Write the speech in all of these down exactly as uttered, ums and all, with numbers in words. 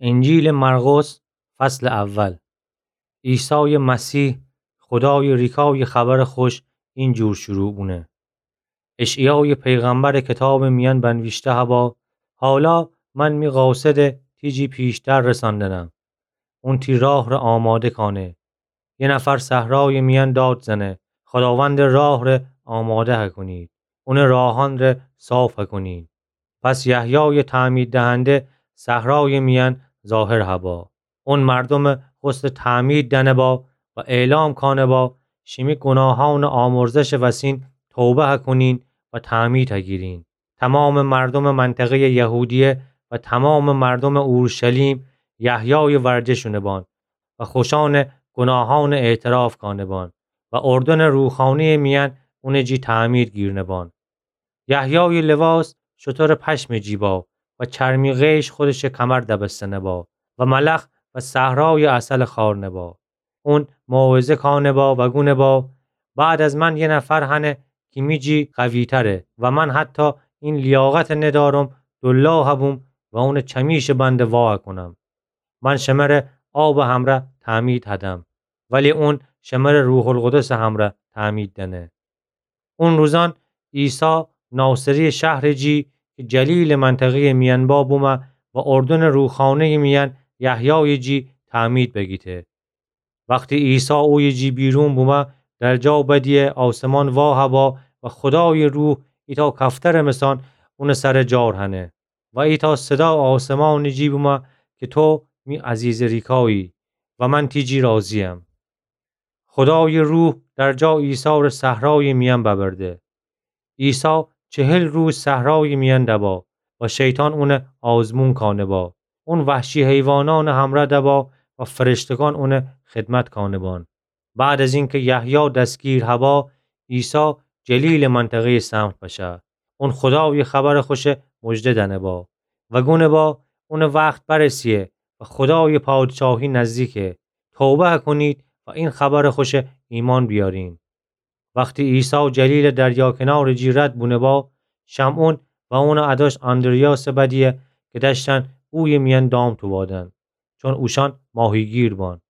انجیلٚ مرقس، فصلٚ اول. عیسایٚ مسیح، خودایٚ ریکایٚ خبرٚ خوش اینجور شروع بونه: اشعیایٚ پیغمبرٚ کتابٚ میأن بنویشته هبا: حالا من می قاصدَ تی جی پیشتر رساندنم. اون تی راه ره آماده کانه. یه نفر صحرایٚ میأن داد زنه: خداوندٚ راه ره آماده هکونید، اونٚ راهأن ره صاف هکونید. پس یحیایٚ تعمید دهنده صحرایٚ میأن ظاهر هبا. اون مردومَ غسلٚ تعمید دأنه با و اعلام کانه با: شیمی گوناهأنٚ آمرزشٚ وسین توبه هکونین و تعمید هگیرین. تومامٚ مردومٚ منطقه‌یٚ یهودیه و تومامٚ مردومٚ اورشلیم یحیایٚ ورجه شونه بان و خوشأنٚ گوناهأنٚ اعتراف کانه بان و اردنٚ روخانه‌یٚ میأن اونٚ جی تعمید گیرنه بان. یحیایٚ لواس شترٚ پشمٚ جی با و چرمی قیش خودشٚ کمر دبستنه با و ملخ و صحرایٚ عسل خوأرنه با. اون موعظه کانه با و گونه با: بعد از من یه نفر هنه کی می جی قوی‌تره و من حتی این لیاقتَ ندأرم دولاه هبوم و اونٚ چمیشٚ بندَ وا هکونم. من شمره آبٚ همرأ تعمید هدم، ولی اون شمره روح‌القدسٚ همرأ تعمید دأنه. اون روزأن عیسی ناصریٚ شهرٚ جی کی جلیلٚ منطقه‌یٚ میأن با بومه و اردنٚ روخانه‌یٚ میأن یحیایٚ جی تعمید بگیته. وختی عیسی اویه جی بیرون بومه، در جا بدیه آسمان وا هبا و خودایٚ روح ایتأ کفترٚ مثان اونٚ سر جار هنه و ایتأ صدا آسمانٚ جی بومه کی تو می عزیزٚ ریکایی و من تی جی راضی‌یم. خودایٚ روح در جا عیسی ره صحرایٚ میأن ببرده. عیسی چهل روز صحرایٚ میأن دبا و شیطان اونَ آزمون کانه با. اون وحشی حیوانأنٚ همرأ دبا و فرشتگان اونَ خدمت کانه بان. بعد از اینکه یحیی دستگیر هبا، عیسی جلیلٚ منطقه‌یٚ سمت بشه. اون خودایٚ خبرٚ خوشَ مژده دأنه با و گونه با اونٚ وخت برسیه و خودایٚ پادشاهی نزدیکه. توبه کنید و این خبرٚ خوشَ ایمأن بیارین. وختی عیسی جلیلٚ دریا کنارٚ جی رد بونه با، شمعون و اونٚ اداش آندریاسَ بدیه که دأشتن اویه میأن دام توبادن، چون اوشأن ماهیگیر بان.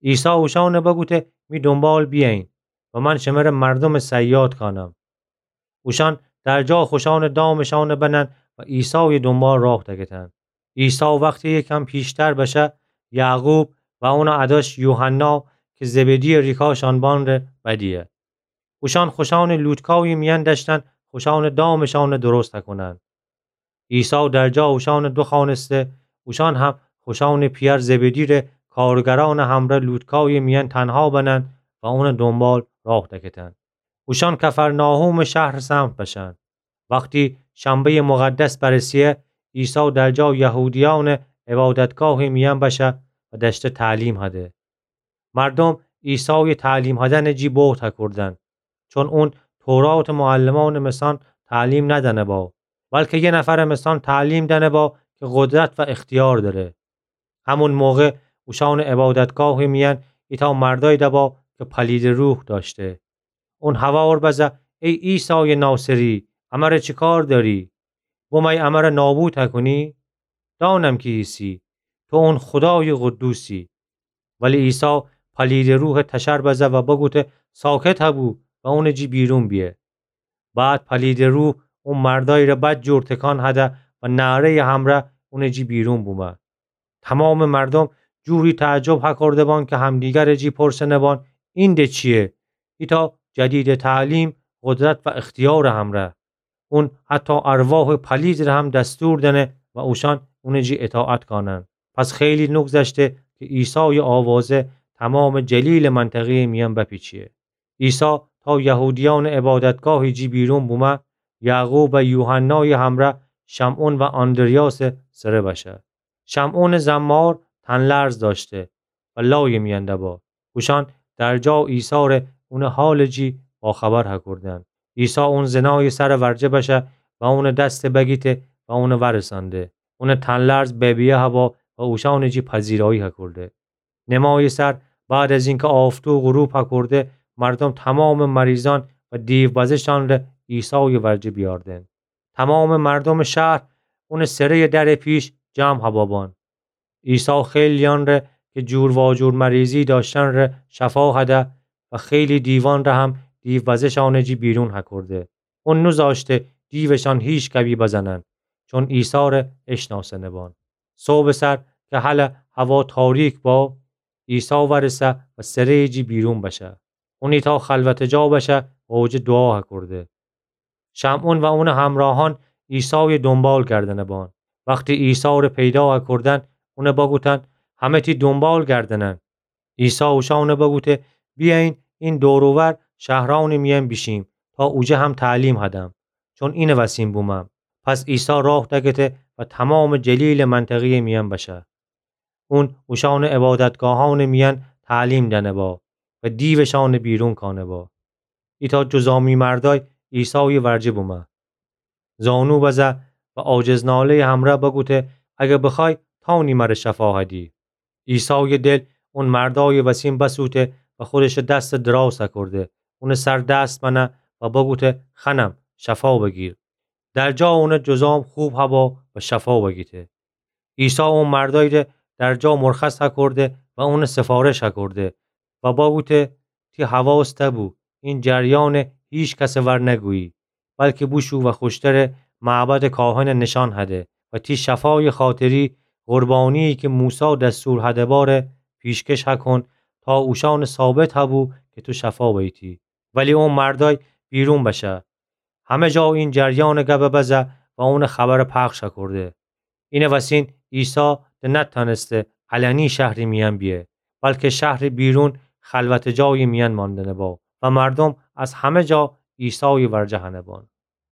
عیسی اوشأنَ بگوته: می دونبال بیأیین و من شمره مردومٚ صیاد کانم. اوشأن درجا خوشأنٚ دامشأنَ بنن و عیسایٚ دونبال راه دکتن. عیسی وختی یکم پیشتر بشه، یعقوب و اونٚ اداش یوحنا که زبدی‌یٚ ریکاشأن بان ره بدیه. اوشأن خوشأنٚ لوتکایٚ میأن دأشتن خوشأنٚ دامشأنَ درست کونن. عیسی درجا اوشأنَ دوخوأنسته، اوشأن هم خوشأنٚ پیأر زبدی ره کارگرأنٚ همرأ لوتکایٚ میأن تنها بنن و اونٚ دونبال راه دکتن. اوشأن کفرناحومٚ شهرٚ سمت بشن. وختی شنبه‌یٚ مقدس برسیه، عیسی درجا یهودیأنٚ عبادتگاهٚ میأن بشه و دأشته تعلیم هده. مردوم عیسایٚ تعلیم هدنٚ جی بهت هکوردن، چون اون توراتٚ معلمأنٚ مثأن تعلیم ندأنه با، بلکه یه نفرٚ مثأن تعلیم دأنه با که قدرت و اختیار دأره. همون موقع اوشأنٚ عبادتگاهٚ میأن ایتأ مردأیی دبا که پلیدٚ روح دأشته. اون هوار بزه: ای عیسایٚ ناصری، امره چی کار دأری؟ بومأیی امره نابود هکونی؟ دأنم کی ایسی، تو اون خودایٚ قدوسی. ولی عیسی پلیدٚ روحَ تشر بزه و بگوته: ساکت هبو و اونٚ جی بیرون بیه. بعد پلیدٚ روح او مردأیی ره بدجور تکان هده و نعره‌یٚ همرأ اونٚ جی بیرون بومه. تومامٚ مردوم جوری تعجب هکورده بان که همدیگرٚ جی پرسنه بان: این د چییه؟ ایتأ جدیدٚ تعلیم، قدرت و اختیارٚ همرأ. اون حتی ارواحٚ پلیدٚ ره هم دستور دأنه و اوشأن اونٚ جی اطاعت کانن. پس خیلی نگذشته که عیسایٚ آوازه تومامٚ جلیلٚ منطقه‌یٚ میأن بپیچیه. عیسی تا یهودیأنٚ عبادتگاهٚ جی بیرون بومه، یعقوب و یوحنایٚ همرأ شمعون و آندریاسٚ سره بشه. شمعونٚ زن‌مار تن‌لرز دأشته و لایٚ میأن دبا. اوشأن درجا عیسی ره اونٚ حالٚ جی باخبر هکوردن. عیسی اون زنایٚ سرٚ ورجه بشه و اونٚ دستَ بگیته و اونَ ورسأنده. اونٚ تن‌لرز ببیه هبا و اوشأنٚ جی پذیرایی هکورده. نمایٚ سر، بعد از اینکه آفتو غروب هکورده، مردوم تومامٚ مریضأن و دیوبزشأن ره عیسایٚ ورجه بیأردن. تومامٚ مردومٚ شهر اونٚ سره‌یٚ درٚ پیش جمع هبابان. عیسی خیلیأن ره که جور واجور مریضی دأشتن ره شفا هده و خیلی دیوأن ره هم دیوبزه‌شأنٚ جی بیرون هکرده. اون نوزاشته دیوشأن هیکدی بزنن، چون عیسی ره اشناسنه‌بان. صبحٚ سر که هله هوا تاریک با، عیسی ورسه و سره‌یٚ جی بیرون بشه. اون ایتأ خلوتٚ جا بشه و اوجه دوعا هکرده. شمعون و اونٚ همرأهأن عیسایٚ دونبال گردنه‌بان. وختی عیسی ره پیدا هکردن، اون بگوتن: همه تی دونبال گردنن. عیسی اوشأن بگوته: بیأیین، این دور و ور شهرأنٚ میأن بیشیم، تا اوجه هم تعلیم هدم، چون اینٚ وسین بومم. پس عیسی راه دگته و تومامٚ جلیلٚ منطقه‌یٚ میأن بشه. اون اوشأنٚ عبادتگاهأنٚ میأن تعلیم دأنه‌با و دیوشأن بیرون کأنه‌با. ایتأ جذامی مردأی عیسایٚ ورجه بومه. زانو بزه و عاجزناله‌یٚ همرأ بگوته: اگر بخوأی، تأنی مر شفا هدی. عیسایٚ دل اون مردأیٚ وسین بسوته و خودشٚ دس دراز هکرده، اونٚ سر دست بنه و بگوته: خنم، شفا بگیر. در جا اونٚ جذام خوب هبا و شفا بگیته. عیسی او مردأی ره در جا مرخص هکرده و اون سفارش هکرده و بگوته: تی حواس تبو این جریأن هیکسٚ ور نگویی، بلکه بوشو و خوشترٚ معبدٚ کاهن نشأن هده و تی شفایٚ خاطری قربانی‌یی که موسی دستور هده باره پیشکش هکن، تا اوشأن ثابت هبو که تو شفا بیتی. ولی او مردأی بیرون بشه، همه جا این جریأنٚ گب بزه و اونٚ خبر پخش هکرده. اینٚ وسین عیسی ده نتأنسته علنی شهرٚ میأن بیه، بلکه شهرٚ بیرون خلوتٚ جایٚ میأن ماندنه‌با و مردوم از همه جا عیسایٚ ورجه هنه‌بان.